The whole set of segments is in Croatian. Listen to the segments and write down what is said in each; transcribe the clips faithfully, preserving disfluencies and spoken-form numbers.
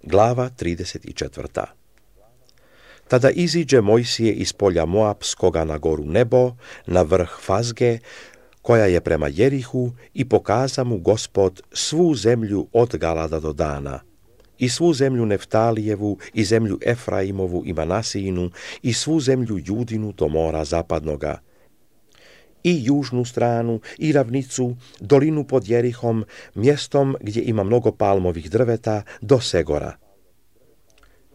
Glava trideset četvrta. Tada iziđe Mojsije iz polja Moapskoga na goru Nebo, na vrh Fazge, koja je prema Jerihu, i pokaza mu Gospod svu zemlju od Galada do Dana, i svu zemlju Neftalijevu, i zemlju Efraimovu i Manasijinu, i svu zemlju Judinu do mora zapadnoga, i južnu stranu, i ravnicu, dolinu pod Jerihom, mjestom gdje ima mnogo palmovih drveta, do Segora.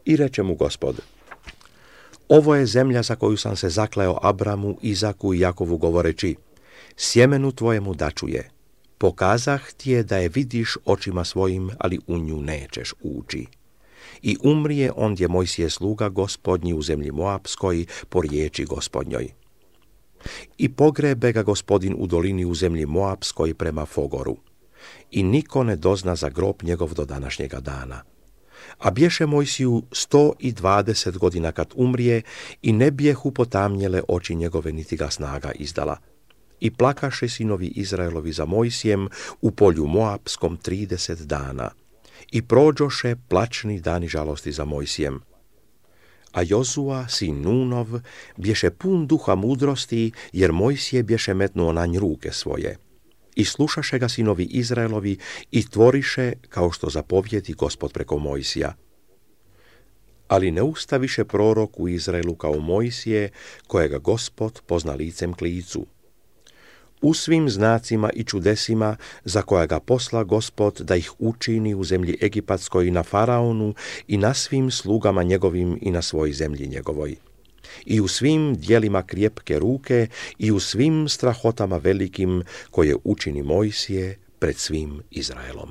I reče mu Gospod: ovo je zemlja za koju sam se zakleo Abramu, Izaku i Jakovu govoreći: sjemenu tvojemu daću je. Pokazah ti je da je vidiš očima svojim, ali u nju nećeš ući. I umrije ondje Mojsije sluga Gospodnji u zemlji Moapskoj po riječi Gospodnjoj. I pogrebe ga Gospodin u dolini u zemlji Moapskoj prema Fogoru. I niko ne dozna za grob njegov do današnjega dana. A bješe Mojsiju sto i dvadeset godina kad umrije, i ne bijehu potamnjele oči njegove, niti ga snaga izdala. I plakaše sinovi Izraelovi za Mojsijem u polju Moapskom trideset dana. I prođoše plačni dani žalosti za Mojsijem. A Jozua, sin Nunov, bješe pun duha mudrosti, jer Mojsije bješe metnuo na nj ruke svoje. I slušaše ga sinovi Izraelovi i tvoriše kao što zapovjedi Gospod preko Mojsija. Ali ne ustaviše prorok u Izraelu kao Mojsije, kojega Gospod pozna licem k licu. U svim znacima i čudesima za koja ga posla Gospod da ih učini u zemlji Egipatskoj i na Faraonu i na svim slugama njegovim i na svoj zemlji njegovoj. I u svim dijelima krjepke ruke i u svim strahotama velikim koje učini Mojsije pred svim Izraelom.